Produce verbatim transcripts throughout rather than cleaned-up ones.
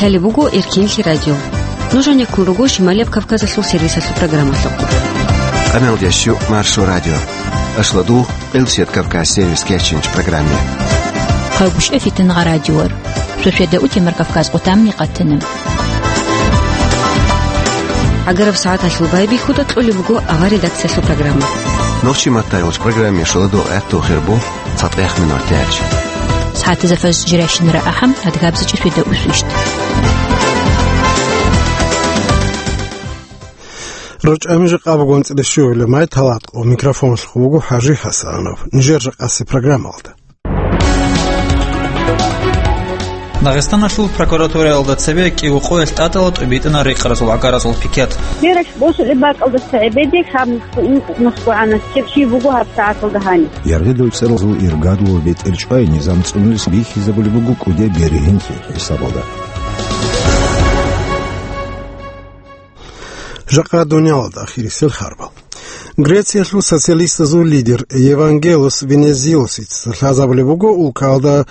Лъалеб буго Эркенлъи радио. Нуж гьанеккун руго Шималияб Кавказалъул сервисалъул программалъухъ. Къамелдящу Маршо радио. Ашладу Къилсият Кавказ сервис кечинч программе. Хъагушев Фитнагъа радиор. Шошеда утемар Кавказ къутамни къатана. Агараб сагӀаталъул байбихьуда кьолеб буго авар редакциялъул программа. Нохчи маттайолч программе шоладо гӀатту хирбо. ЦатӀехъ минуталъ. СагӀатазда фажр жирайщинара ахӀам, адгабзачӀи шведа усвищ. РучӀами жакъа бугонцӀила щугьула май талатӀо. Микрофонлъухъ вуго ХӀажи ХӀасанов. Нижер жакъаси программалда. Дагъистаналъул прокуратураялда цебе кӀиго къоялъ тӀатӀала тӀубитӀана рекъаразул гӀагаразул пикет. Бералъ босулеб бакӀалдаса гӀебеде гьаб нусгогӀанас чеб чи буго гьаб сагӀаталда гьаниб. Яргъидул цӀералъул иргадлъул бетӀер чӀвай низам цӀунулес бихьизабулеб буго кӀудияб бергьенлъи хӀисабалда. Жакъа дуниялалда ахирисел харбал. Грециялъул социалистазул лидер Евангелос Венизелосица лъазабулеб буго улкалда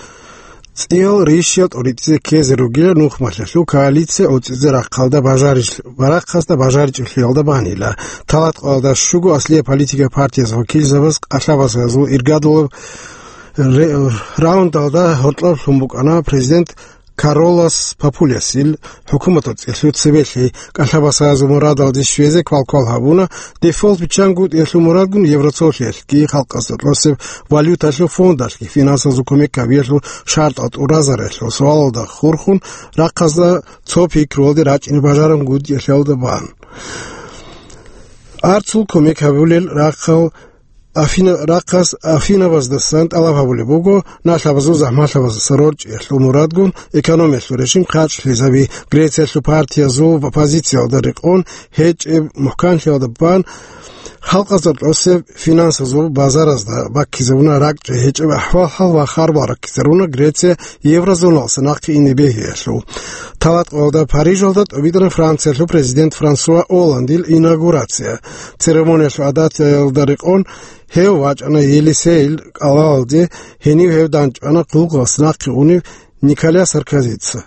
цӀиял рищал тӀоритӀизе ккезе ругила нухмалъалъул коалиция оцӀизе рахъалда бажарич-, барахъасда бажаричӀелъиялда банила. ТалатӀкъоялда щуго аслияб политика партияз вакилзабаз къалъабазазул иргадулаб ре-, раундалда гьоркьоб лъун букӀана президент Каролас Папулясил хӀукуматалъул цӀелъу цебелъи. КӀалъабасазул мурадалде щвезе квалквал гьабуна, дефолт биччангутӀиялъул мурадгун Еврозоналъги халкъазда тӀосеб валюталъул фондалъги финансазул кумек гьабиялъул шартӀал тӀуразариялъул суалалда хурхун, рахъазда цо пикруялде рачӀине бажарангутӀиялъиялда бан. Арцул кумек гьабулел рахъал Афина-, рахъас Афинабаздасан тӀалаб гьабулеб буго, налъабазул захӀмалъабаздаса рорчӀиялъул мурадгун экономиялъул режим хъачӀлъизаби. Грециялъул партиязул оппозициялда рекъон гьечӀеб мухӀканлъиялда бан, халкъазда тӀосеб финансазул базаразда баккизабуна ракӀчӀей гьечӀеб ахӀвал-хӀал ва харбал раккизаруна Греция Еврозоналдаса нахъе ине бегьиялъул. ТалатӀкъоялда Парижалда тӀубитӀана Франциялъул президент Франсуа Олландил инаугурация. Церемониялъул гӀадатаялда рекъон гьев вачӀана Елисейил кӀалалде, гьенив гьев дандчӀвана хъулухъалъ нахъе унев Николя Саркозица.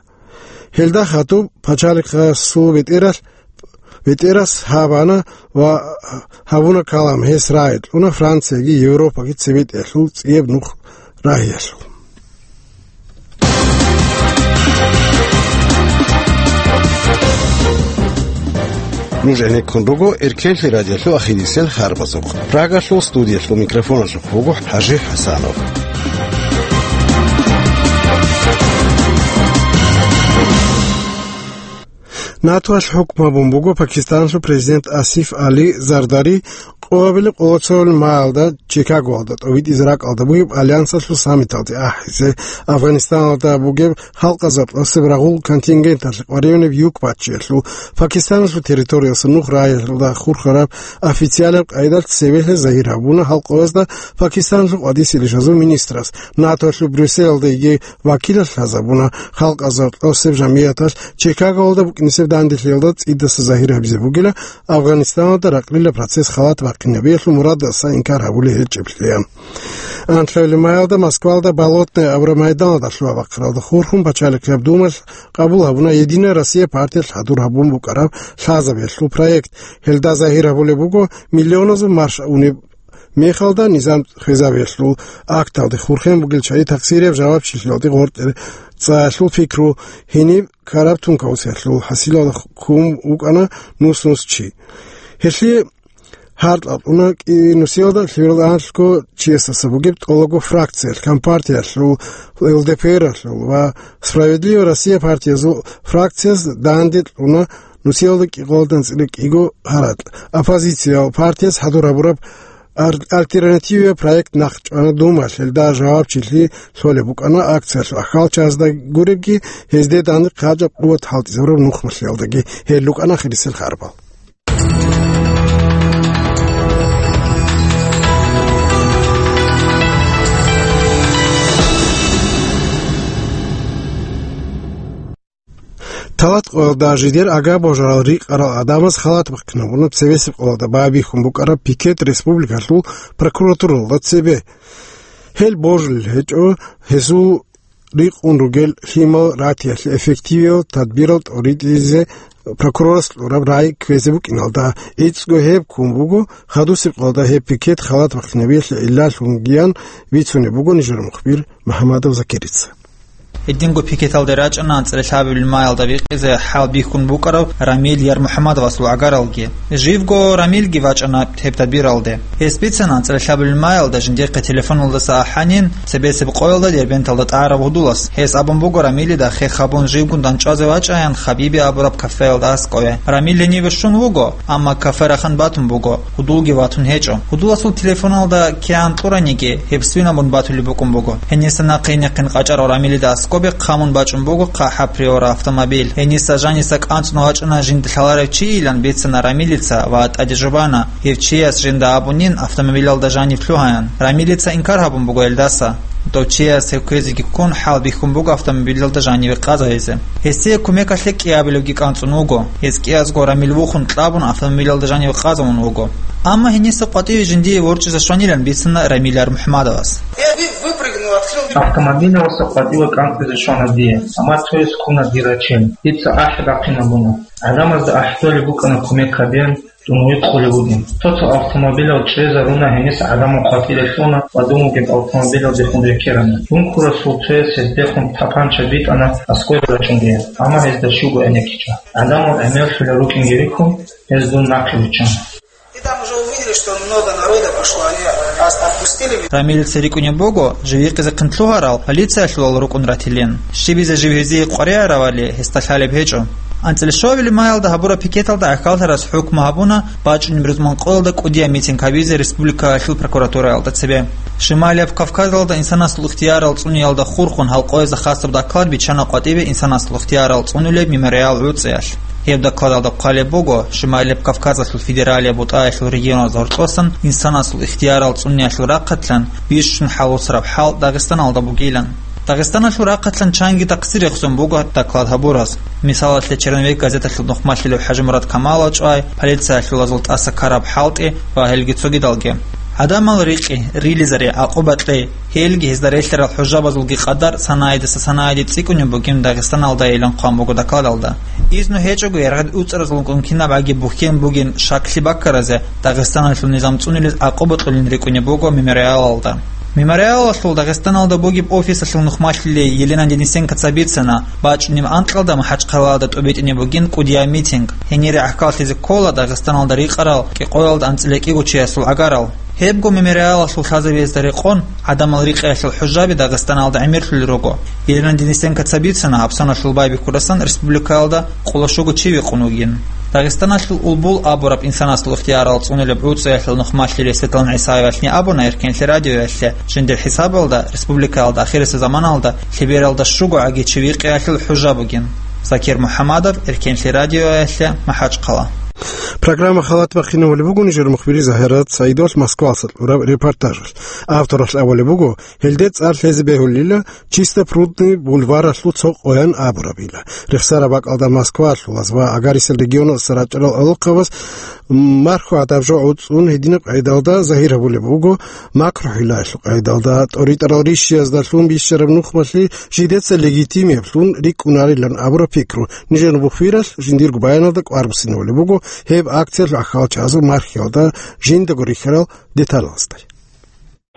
Гьелда хадуб пачалихъасул бетӀералъ, бетӀерас гьабана ва гьабуна калам, гьес рагӀи кьуна Францияги Европаги цебетӀеялъул цӀияб нух рагьиялъул. Нуж гӀенеккун руго Эркенлъи радиолъул ахирисел харбазухъ. Прагалъул студиялъул микрофоналъухъ вуго ХӀажи ХӀасанов. НАТОялъ хӀукму гьабун буго Пакистаналъул президент Асиф Али Зардари къоабилеб къолоцолил маялда Чикагоялда тӀовитӀизе ракӀалда бугеб альянсалъул саммиталде ахӀизе. Афганистаналда бугеб халкъазда тӀасеб рагъул контингенталъе къваригӀунеб юкбачиялъул, Пакистаналъул территорияса нух рагьиялда хурхараб официалаб къайдалъ цебехӀе загьир гьабуна халкъоязда Пакистаналъул къватӀисел ишазул министрас. НАТОялъул Брюсселалда йиги вакилалъ лъазабуна халкъазда тӀасеб жамгӀияталъ Чикагоялда букӀинисеб данделъиялда цӀидаса загьир гьабизе бугила Афганистаналда ракълила процесс халат бахъинабиялъул мурадаса инкар гьабулеб гьечӀеблъи. Анлъабилеб маялда Москвалда Болотное абураб майданалда лъугьа-бахъаралда хурхун пачалихъияб думалъ къабул гьабуна «Единая Россия» партиялъ хӀадур гьабун букӀараб лъазабиялъул проект. Гьелда загьир гьабулеб буго миллионазул марш унеб мехалда низам хвезабиялъул акталде хурхен бугел чагӀи такъсирияб жавабчилъиялде гъоркье цӀаялъул пикру, гьениб ккараб тункаусиялъул хӀасилалда хьун вукӀана нус-нус чи. Гьелъие гьаркьа кьуна кӀи-, нусиялда лъугьарал анлъго чиясдаса бугеб тӀолабго фракциялъ, Компартиялъул, ЛДПРалъул ва «Справедливая Россия» партиязул фракцияз данде кьуна нусиялда кӀикъоялда анцӀила кӀиго гьаракь. Оппозициял партияз хӀадур гьабураб ар-, альтернативияб проект нахъчӀвана Думалъ, гьелда жавабчилъи лъолеб букӀана акциялъул ахьалчазда гуребги, гьезде данде хъачӀаб къуват хӀалтӀизабураб нухмалъиялдаги. Гьел рукӀана ахирисел харбал. Талат къоялда жидер агар-божарал рикъарал гӀадамаз халат бахъинабуна цебесеб къоялда байбихьун букӀараб пикет республикалъул прокуратуралда цебе. Гьел божулел гьечӀо, гьезул рикъун ругел лъимал ратиялъе эффективиял тадбирал тӀоритӀизе прокурорас кьураб рагӀи кквезе букӀиналда. ГӀицӀго гьеб ккун буго хадусеб къоялда гьеб пикет халат бахъинабиялъе гӀиллалъунгиян бицунеб буго нижер мухбир МухӀамадов Закирица. Гьединго пикеталде рачӀана анцӀила лъабабилеб маялда бикъизе хӀал бихьун букӀарав Рамил Ярмухамадовасул гӀагаралги. Живго Рамилги вачӀана гьеб тадбиралде. Гьес бицана анцӀила лъабабилеб маялда жиндихъе телефоналдаса ахӀанин, цебесеб къоялда Дербенталда тӀагӀараб гьудулас. Гьес абун буго Рамилида хех гьабун живгун дандчӀвазе вачӀаян Хабиби абураб кафеялда аскӀове. Рамил гьениве щун вуго, амма кафе рахъун батун буго, гьудулги ватун гьечӀо. Гьудуласул телефоналда кигӀан кьураниги, гьеб свинабун батулеб букӀун буго. Гьениса нахъе-нахъин къачӀарав Рамилида аскӀобе хъамун бачӀун буго хъахӀаб Приора автомобиль. Гьениса жаниса кӀанцӀун вачӀана жинда лъаларев чийилан бицана Рамилица ва тӀаде жубана, гьев чияс жинда абунин автомобилялда жанив лъугьаян. Рамилица инкар гьабун буго гьелдаса. Дов чияс гьев кквезеги ккун, хӀал бихьун буго автомобилялда жаниве къазавизе. Гьесие кумекалъе кӀиабилевги кӀанцӀун вуго. Гьес кӀиязго Рамил вухун кьабун, автомобилялда жаниве къазавун вуго. Амма гьениса къватӀиве жиндие ворчӀизе щванилан бицана Рамил Ярмухамадовас. Я вы-, выпрыгнул, открыл. Автомобилялдаса къватӀиве кӀанцӀизе щвана дие, амма цояс ккуна дир рачел. Дица ахӀи бахъинабуна. ГӀадамазда ахӀдолеб букӀана кумек гьабеян, дун гьикъулеб бугин. Цо-цо автомобилал чӀезаруна, гьениса гӀадамал къватӀире лъуна ва дун вугеб автомобилалдехун рекерана. Дун ккурасул цояс гьездехун тапанча битӀана аскӀове рачӀунге, амма гьезда щуго гӀенеккичӀо. ГӀадамал гӀемерлъулел рукӀинги рихьун, гьез дун нахъе виччана. И там уже увидели, что много народа пошло, они ас-, отпустили меня. Рамилица рикӀкӀунеб буго, жив гьикъизехъин лъугьарал полициялъулал рукӀун ратилин. Щибизе жив гьезие къваригӀаравали, гьесда лъалеб гьечӀо. АнцӀила щуабилеб маялда гьабураб пикеталда гӀахьаллъарас хӀукму гьабуна бачӀунеб рузман къоялда кӀудияб митинг гьабизе республикаялъул прокуратураялда цебе. Шималияб Кавказалда инсанасул ихтиярал цӀуниялда хурхун гьалкъоязда хасаб доклад биччана къватӀибе инсанасул ихтиярал цӀунулеб мемориал ГӀуцӀиялъ. Гьеб докладалда хъвалеб буго, Шималияб Кавказалъул федералияб бутӀаялъул регионазда гьоркьосан инсанасул ихтиярал цӀуниялъул рахъалъан бищун хӀалусараб хӀал Дагъистаналда бугилан. Дагъистаналъул рахъалъан чанги такъсир рехсон буго доклад гьабураз. Мисалалъе, Черновик газеталъул нухмалъилев ХӀажимурад Камалов чӀвай, полициялъулазул тӀаса ккараб хӀалтӀи ва гьелги цогидалги. ГӀадамал рикъи, рилизари, гӀакъуба кьей, гьелги гьезда релълъарал хӀужабазулги къадар санаидаса санаиде цӀикӀкӀунеб бугин Дагъистаналдайилан хъван буго докладалда. Изну гьечӀого яргъад уцӀаразулгун кинабгӀаги бухьен бугин шаклъи баккаразе Дагъистаналъул низам цӀунилез гӀакъуба кьолин рикӀкӀунеб буго мемориалалда. Мемориалалъул Дагъистаналда бугеб офисалъул нухмалъилей Елена Денисенкоца бицана, бачӀунеб анкьалда МахӀачхъалаялда тӀубитӀине бугин кӀудияб митинг. Гьенире гӀахьаллъизе ккола Дагъистаналда рикъарал кӀикъоялда анцӀила кӀиго чиясул гӀагарал. Гьебго мемориалалъул лъазабиязда рекъон, гӀадамал рикъиялъул хӀужаби Дагъистаналда гӀемерлъулел руго. Елена Денисенкоца бицана, гьабсаналъул байбихьуласан республикаялда къоло щуго чи векъун вугин. Дагъистаналъул Улбул абураб инсанасул ихтиярал цӀунулеб ГӀуцӀиялъул нухмалъилей Светлана ГӀисаевалъни абуна Эркенлъи радиоялъе, жиндир хӀисабалда республикаялда ахирисеб заманалда лъебералда щуго гӀаги чи викъиялъул хӀужа бугин. Закир МухӀамадов, Эркенлъи радиоялъе, МахӀачхъала. Программа халат бахъинавулеб буго нижер мухбир Загьират Саидовалъ Москвалъа кьураб репортажалъ. Авторалъ абулеб буго, гьелде цӀар лъезе бегьулила Чистопрудный бульваралъул цо къоян абурабила. Рехсараб бакӀалда Москвалъулаз ва агарисел регионалдаса рачӀарал гӀолохъабаз марху гӀадаб жо гӀуцӀун гьединаб къайдалда загьир гьабулеб буго, макрухӀилаялъул къайдалда тӀоритӀарал рищиязда лъун бищараб нухмалъи жидеца легитимиблъун рикӀкӀунарилан абураб пикру нижер мухбиралъ жиндирго баяналда кӀвар буссинабулеб буго гьеб акциялъул гӀахьалчагӀазул мархиялда жиндаго рихьарал деталазда.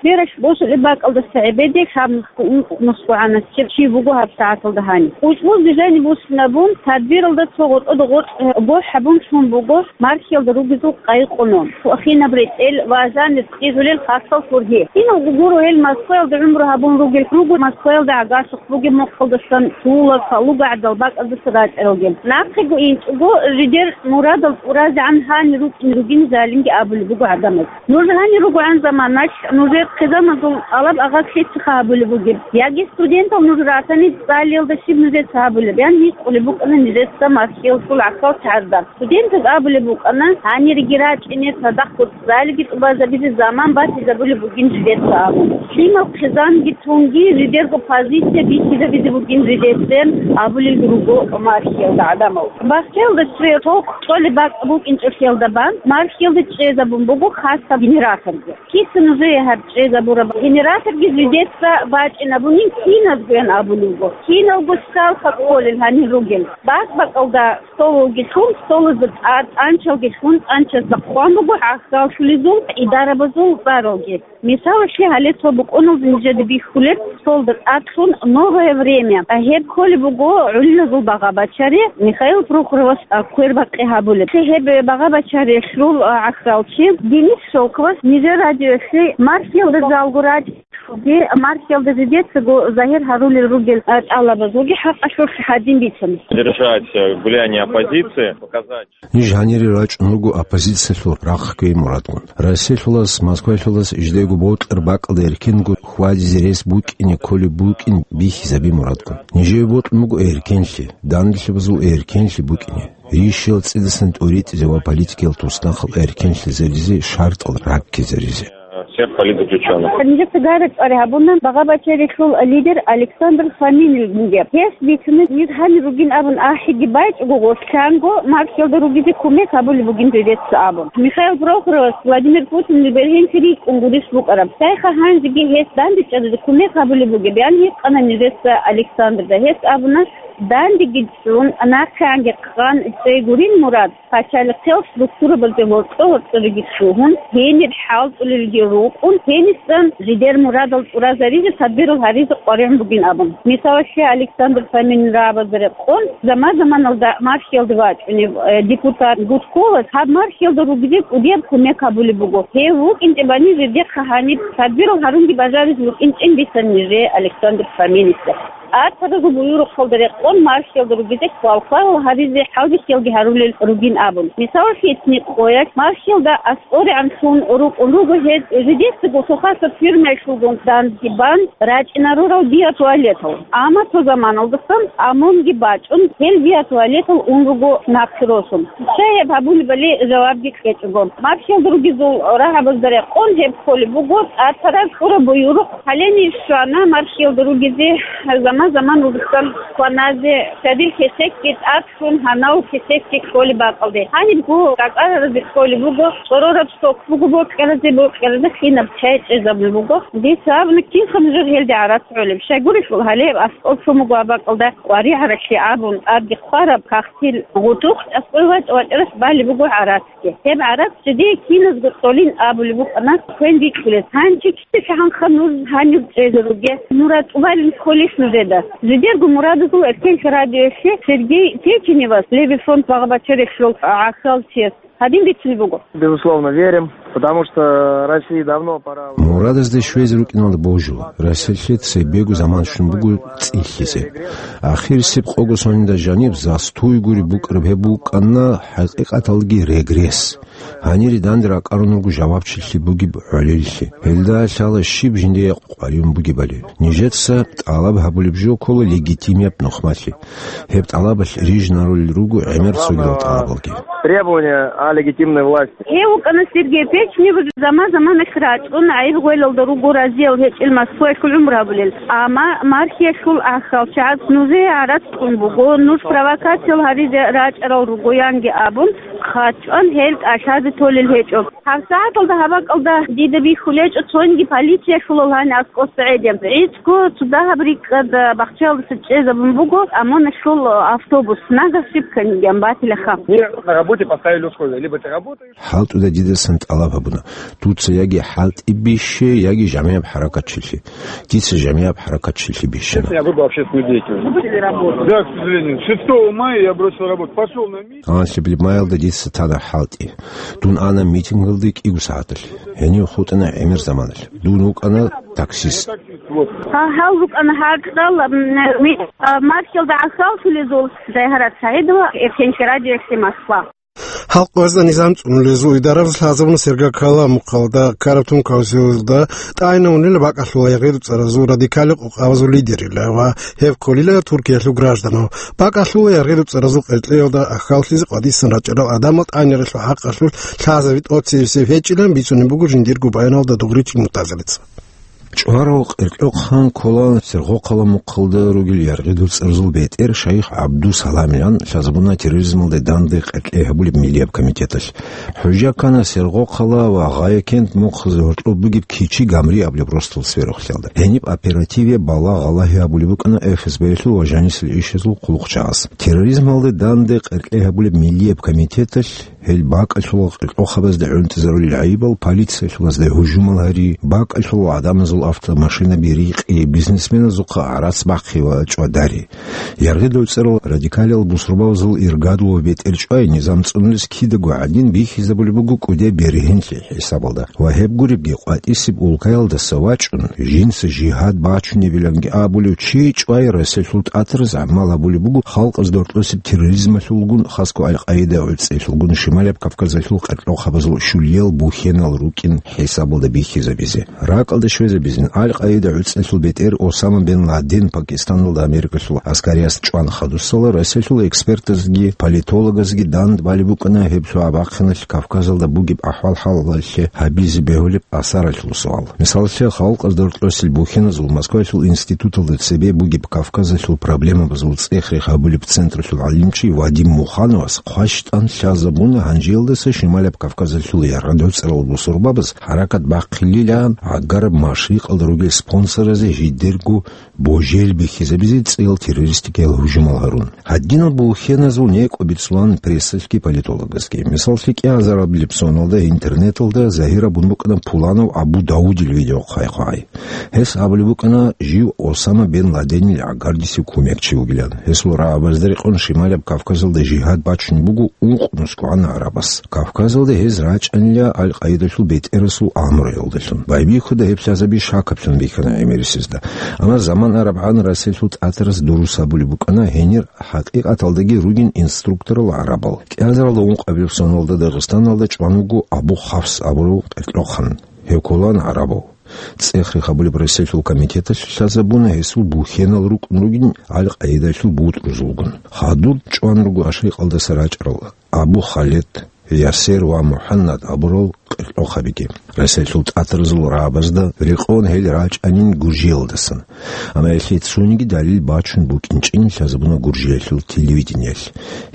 Бераш босулеб бакӀалдаса гӀебеде гьаб нусгу ункъ нусгу гӀанасеб чи вуго гьаб сагӀаталда гьаниб. КъучӀбуз дизайниб буссинабун, тадбиралда цо гъоркьода гъоркь бохӀ гьабун лъун буго мархиялда ругезул къайкъуну, хинаб ретӀел ва азанир цӀигӀулел хасал хурги. Киналго гуро гьел Москваялда гӀумру гьабун ругел, руго Москваялда гӀагарлъухъ бугеб мухъалдасан, тулаб, калугагӀдал бакӀалдаса рачӀаралги. Нахъего инчӀого жидер мурадал тӀуразегӀан гьанир рукӀине ругин залимги абулеб буго гӀадамаз. Нуж гьанир ругогӀан заманалъ нужер хъизамазул тӀалаб-агъаз лъица гьабулеб бугеб? Яги студентал нуж ратани цӀалиялда щиб нужеца гьабулеб? Ян гьикъулеб букӀана нижеца мархиялъул гӀахьалчагӀазда. Студентаз абулеб букӀана, гьаниреги рачӀине цадахъго цӀалиги тӀубазабизе заман батизабулеб бугин жидеца абун. Лъимал хъизамги тунги жидерго позиция бихьизабизе бугин жидецен абулел руго мархиялда гӀадамал. Бахтиялда цоял толъ кьолеб бакӀ букӀинчӀолъиялда бан мархиялда чӀезабун буго хасаб генераторги. Киса нужее гьаб чӀе Забура генераторги жидеца бачӀинабунин киназгоян абулеб буго. Киналго сталха кколел гьанир ругел. Бакъ-бакъалда столалги лъун, столазда тӀад тӀанчалги лъун, тӀанчазда хъван буго гӀахьаллъулезул, идарабазул цӀаралги. Мисалалъе, гьале цо букӀуналда нижеда бихьулеб, столда тӀад лъун «Новое время». Гьеб кколеб буго гӀолилазул багъа-бачари Михаил Прохоровас, а, квербакъи гьабулеб. Гьеб багъа-бачарилъул, а, гӀахьалчи Денис Шелковас нижер радиоялъе мархиялда жалго рачӀ-, мархиялда жидецаго загьир гьарулел ругел, а, тӀалабазулги хӀакъалъулъ гьадин бицана. Держать, э, гуляние оппозиции, показать. Ниж гьанире рачӀун руго оппозициялъул рахъ ккей мурадгун. Россиялъулас, Москваялъулас жидего бокьараб бакӀалда эркенго хьвадизе рес букӀине кколеб букӀин бихьизаби мурадгун. Нижее бокьун буго эркенлъи, данделъабазул эркенлъи букӀине, рищал цӀидасан тӀуритӀизе ва политикиял туснахъал эркенлъизаризе шартӀал раккизаризе. Всех политзаключённых. Нижеца гайрат цӀаре гьабуна багъа-бачарилъул лидер Александр Фоминил бугеб. Гьес бицина, ниж гьанир ругин абун ахӀиги байчӀого, гъорлъанго мархиялда ругизе кумек гьабулеб бугин жидеца абун. Михаил Прохоровас Владимир Путинил бергьенлъи рикӀкӀун гурищ букӀараб. Цайха гьанжеги гьес дандечӀезе кумек гьабулеб бугеб, ян гьикъана нижеца Александрда. Гьес абуна, дандеги цӀун, нахъеанги хъан цӀей гурин мурад. Пачалихъел структурабазде гьоркьо-гьоркьориги лъугьун, гьениб хӀалтӀулелги рукӀун, гьенисан жидер мурадал чӀуразаризе, тадбирал гьаризе къваригӀун бугин абун. Мисалалъе, Александр Фоминил рагӀабазда рекъон, заман-заманалда мархиялда вачӀунев, э, депутат Гудковас гьаб мархиялда ругизе кӀудияб кумек гьабулеб буго. Гьев вукӀинчӀебани жидехъа гьаниб тадбирал гьарунги бажаризе букӀинчӀин бисан нижее Александр Фоминисда. ТӀатаразул буюрухъалда рекъон мархиялда ругизе хвалхъварал гьаризе хӀалбихьиялги гьарулел ругин абун. Мисалалъе, итни къоялъ мархиялда аскӀорегӀанлъун рукӀун руго гьез, жидецаго Сухасов фирмаялъулгун данде бан рачӀинарурал биотуалетал. Амма цо заманалдасан ОМОНги бачӀун, гьел биотуалетал ун руго нахъе росун. Щай гьеб гьабулебали жавабги кьечӀого. Мархиялда ругезул рагӀабазда рекъон гьеб кколеб буго тӀатараз кьураб буюрухъ. Гьале ниж щвана мархиялда ругезе, заман-заман вугьсан кваназе, цадил кесекги тӀад лъун, гьанав кесекги кколеб бакӀалде. Гьанибго кӀакӀараразе кколеб буго, чӀорораб сок буго бокьаразе, бокьаразе кинаб чай чӀезабулеб буго. Дица абуна, кинха нужер гьелде гӀарац гӀолеб? Щайгурелъул гьале аскӀоб лъун буго гьаб бакӀалда къваригӀаралъе абун, тӀадги хъвараб кагътил гъутухъ аскӀой вачӀа-вачӀарас балеб буго гӀарац. Гьеб гӀарац жидее киназго цӀолин абулеб букӀана хвен бикьулес. Гьанже кица гьанха нуж гьанив чӀезе ругел? Мурад тӀубалин кколищ нужеда? Жидерго мурадазул эркенлъи радиоялъе Сергей Печеневас, Левый фронт багъа-бачарихъал гӀахьалчияс, гьадин бицунеб буго. Безусловно, верим, потому что России давно пора. Мурадазде щвезе рукӀиналда божула. Россиялъе цебего заман щун буго цӀилъизе. Ахирисеб къого соналда жаниб застуй гури букӀараб гьеб букӀана хӀакъикъаталги регресс. Гьанире данде ракӀарун руго жавабчилъи бугеб гӀолилъи. Гьелда лъала щиб жиндие къваригӀун бугебали. Нижеца тӀалаб гьабулеб жо ккола легитимияб нухмалъи. Гьеб тӀалабалъ рижинарулел руго гӀемер цогидал тӀалабалги. Требования о легитимной власти. Гьев вукӀана Сергей Печенев, заман-заманалъ рачӀун гӀайиб-гъвелалда руго разиял гьечӀел Москваялъул гӀумру гьабулел. Амма мархиялъул гӀахьалчагӀаз нужее гӀарац кьун буго, нуж провокациял гьаризе рачӀарал руго, янги абун, хъачӀван гьел кӀалъазе толел гьечӀо. ГьабсагӀаталда гьаб бакӀалда дида бихьулечӀо цониги полициялъул гьаниб аскӀоса гӀедин. ГӀицӀго цо дагьаб рикӀкӀад бахчаялдаса чӀезабун буго ОМОНалъул автобус. Нагагь щиб кканиган батилаха. Мне на работе поставили условия: либо ты работаешь. ХӀалтӀуда дидасан тӀалаб гьабуна: «Дуца яги хӀалтӀи бихье, яги жамигӀаб хӀаракатчилъи». Дица жамигӀаб хӀаракатчилъи бихьана. Я выбрал общественную деятельность. Да, к сожалению. Шестого мая я бросил работу. Пошёл на митинг. Гьанлъабилеб маялда дица тана хӀалтӀи. Дун ана митингалде кӀиго сагӀаталъ. Гьенив хутӀана гӀемер заманалъ. Дун вукӀана таксист. Вот. Гьа, гьал рукӀана гьаркьал, м, ми-, а, мархиялда гӀахьаллъулезул. Зайгьарат СагӀидова, Эркенлъи радиоялъе, Москва. Халкъ гьезда низам цӀунулезул идарабаз лъазабуна Сергал каламухъалда ккараб тункаусиялда тӀайнавунила бакӀалъула ЯгъирубцӀаразул радикалил къокъабазул лидерила ва гьеб кколила Туркиялъул гражданал. БакӀалъула ЯгъирубцӀаразул къеркьеялда ахьаллъизе къватӀисан рачӀарал гӀадамал тӀайнаралъул хӀакъалъулъ лъазаби тӀоцебесеб гьечӀилан бицунеб буго жиндирго баяналда дугъричи мутазалица. ЧӀварав Къеркьохъан ккола Сергокъала мухъалда ругел Яргъидул цӀарзул бетӀер Шайх ГӀабдусаламилан лъазабуна терроризмалде данде къеркьей гьабулеб миллияб комитеталъ. ХӀужа ккана Сергокъала ва Гъаякент мухъазе гьоркьоб бугеб Кичи Гамри абулеб росдал сверухълъиялда. Гьениб оперативе балагь-гъалагьи гьабулеб букӀана ФСБ-ялъул ва жанисел ишазул хъулухъчагӀаз. Терроризмалде данде къеркьей гьабулеб миллияб комитеталъ гьел бакӀалъула къеркьохъабазда гӀунтӀизарулел гӀайибал, полициялъулазда гьужумал гьари, бакӀалъула гӀадамазул автомашинаби рикъи, бизнесменазухъа гӀарац бахъи ва чӀвадари. Яргъидул цӀарал радикалиял бусурбабазул иргадул ва бетӀер чӀвай низам цӀунулес кидаго гӀадин бихьизабулеб буго кӀудияб бергьенлъи хӀисабалда. Ва гьеб гуребги къватӀисеб улкаялдаса вачӀун, жинца жигьад бачунебиланги абулев чи чӀвай Расиялъул тӀатараз гӀамал гьабулеб буго халкъаз доркьосеб терроризмалъулгун, хасго Аль-Къаида гӀуцӀелъулгун Шималаб Кавказалъул къеркьохъабазул щулиял бухьенал рукӀин хӀисабалда бихьизабизе. РакӀалде щвезабизин, Аль-Къаида гӀуцӀелъул бетӀер Осама бен Ладен Пакистаналда Америкалъул гӀаскариялъ чӀван хадусала Расиялъул экспертазги политологазги дандбалеб букӀана гьеб лъугьа-бахъиналъ Кавказалда бугеб ахӀвал-хӀалалъе гьабизе бегьулеб асаралъул суал. Мисаллъе, халкъаз доркьосел бухьеназул Москваялъул институталда цебе бугеб Кавказалъул проблемабазул цӀех-рех гьабулеб централъул гӀалимчи Вадим Мухановас хъващтӀан лъазабуна гьанжеялдаса Шималаб Кавказалъул яргъад гӀуцӀарал бусурбабаз хӀаракат бахъилилан гӀагараб Машрикъалда ругел спонсоразе жидерго божел бихьизабизе цӀиял террористикиял гьужумал гьарун. Гьадинал бухьеназул некӀо бицулан прессалъги политологазги. Мисаллъи, кӀиазарабилеб соналда интернеталда загьир абун букӀана пуланав Абу Даудил видео хъвай-хъвай. Гьес абулеб букӀана жив Осама бен Ладенил гӀагардисев кумекчи вугилан. Гьесул рагӀабазда рекъон Шималаб Кавказалда жигьад бачун буго ункънусгогӀан гӀарабас. Кавказалда гьез рачӀанила Аль-Къаидалъул бетӀерасул амруялдалъун. Байбихьуда гьеб лъазаби шакаблъун бихьана гӀемерисезда. Амма заман арабгӀан Расиялъул тӀатарас дурус абулеб букӀана гьенир хӀакъикъаталдаги ругин инструкторал гӀарабал. КӀиазаралда ункъабилеб соналда Дагъистаналда чӀван вуго Абу Хафс абурав къеркьохъан. Гьев кколан гӀарабав. ЦӀех-рех гьабулеб Расиялъул комитеталъ лъазабуна гьесул бухьенал рукӀун ругин Аль-Къаидалъул бутӀрузулгун. Хадуб чӀван руго Машрикъалдаса рачӀарал Абу Халед, Ясер ва МухӀаннад абурал къеркьохъабиги. Расиялъул тӀатарзул рагӀабазда рекъон гьел рачӀанин Гуржиялдасан. Амма гьелъие цониги далил бачун букӀинчӀин лъазабуна Гуржиялъул телевидениялъ.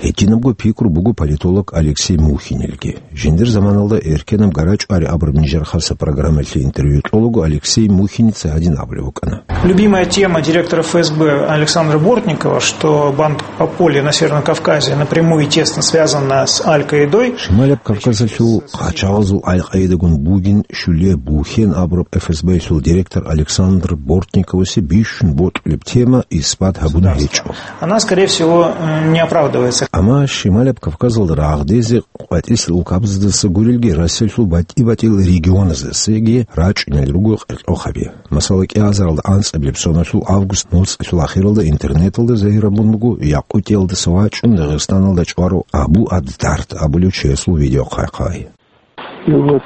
Гьединабго пикру буго политолог Алексей Мухинилги. Жиндир заманалда «Эркенаб гарачӀвари» абураб нижер хасаб программалъе интервью кьолаго Алексей Мухиница гьадин абулеб букӀана. Любимая тема директора ФСБ Александра Бортникова, что банда Пополье на Северном Кавказе напрямую и тесно связана с Аль-Каидой. Шималаб Кавказалъул хъачагъазул Аль-Къаидагун бугин щулияб бухьен абураб ФСБ-лъул директор Александр Бортниковасе бищун бокьулеб тема исбат гьабун гьечӀо. Она, скорее всего, э, не оправдывается. Амма Шималаб Кавказалда рагъдезе къватӀисел улкабаздаса гурелги, Расиялъул батӀи-батӀиял регионаздасаги рачӀунел руго къеркьохъаби. Масала, кӀиазаралда анцӀабилеб соналъул август моцӀалъул ахиралда интернеталда загьир абун буго Якъутиялдаса вачӀун Дагъистаналда чӀварав Абу ад-Дард абулев чиясул видео хъвай-хъвай. И вот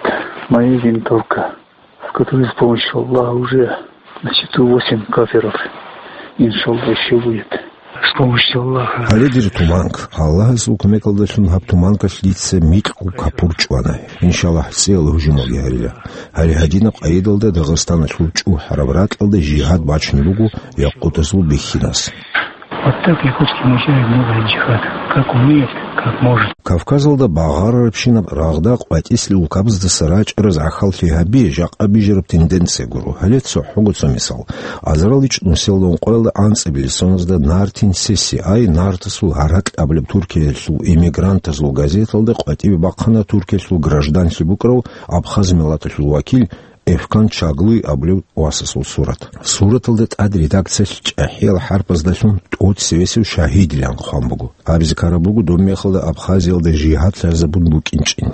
моя винтовка, с которой с помощью Аллаха уже на счету восемь кафиров, иншаллах, еще будет. С помощью Аллаха. Гьале дир туманка. Аллагьасул кумекалдалъун гьаб туманкалъ дица микьго капур чӀвана. Иншаллагь, цӀиял гьужумалги гьарила. Гьале гьадинаб къайдалда Дагъистаналъул чӀухӀараб ракьалда жигьад бачун буго якъутазул бихьинас. Вот так якутский мужчина делает джихад. Как умеет, как может. Кавказалда багъарарабщинаб рагъда къватӀисел улкабаздаса рачӀараз гӀахьаллъи гьаби жакъа бижараб тенденция гуро. Гьале цохӀого цо мисал. Азарал ичӀнусиялда ункъоялда анцӀабилеб соназда Нартин Сеси ай Нартасул гьаракь абулеб Туркиялъул эмигрантазул газеталда къватӀибе бахъана Туркиялъул гражданлъи букӀарав абхаз миллаталъул вакил Эфкан Чаглуй абулев васасул сурат. Сураталда тӀад редакциялъ чӀахӀиял хӀарпаздалъун тӀоцевесев шагьидилан хъван буго. Абизе ккараб буго доб мехалда Абхазиялда жигьад лъазабун букӀинчӀин.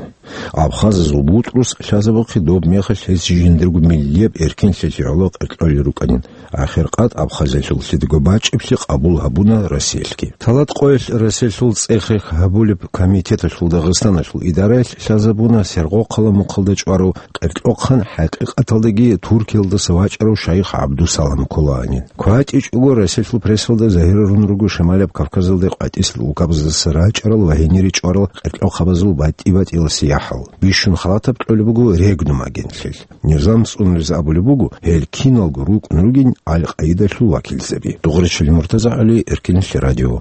Абхазазул бутӀрус лъазабухъе доб мехалъ гьес жиндирго миллияб эркенлъиялъе гӀоло къеркьолел рукӀанин. Ахиркъад Абхазиялъул лъидего бачӀиблъи къабул гьабуна Россиялъги. Талат къоялъ Россиялъул цӀех-рех гьабулеб комитеталъул Дагъистаналъул идараялъ лъазабуна Сергокъала мухъалда чӀварав къеркьохъан, хӀакъикъаталдаги Туркиялдаса вачӀарав шайх ГӀабдусалам кколаанин. КватӀичӀого Россиялъул прессалда загьирарун руго Шималаб Кавказалда къватӀисел улкабаздаса рачӀарал ва гьенире чӀварал къеркьохъабазул батӀи-батӀиялъе хӀал. Бищун халатаб кьолеб буго Регнум агентлъи. Низам цӀунулез абулеб буго, гьел киналго рукӀун ругин Аль-Къаидалъул вакилзаби. Дугъричили Муртаза ГӀали, Эркинлъи радио.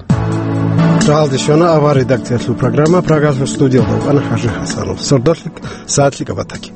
Рагьалде щвана авар редакциялъул программа, Прагалъул студиялда вукӀана ХӀажи ХӀасанов. Сордолъи сагӀат лъикӀаб батаги.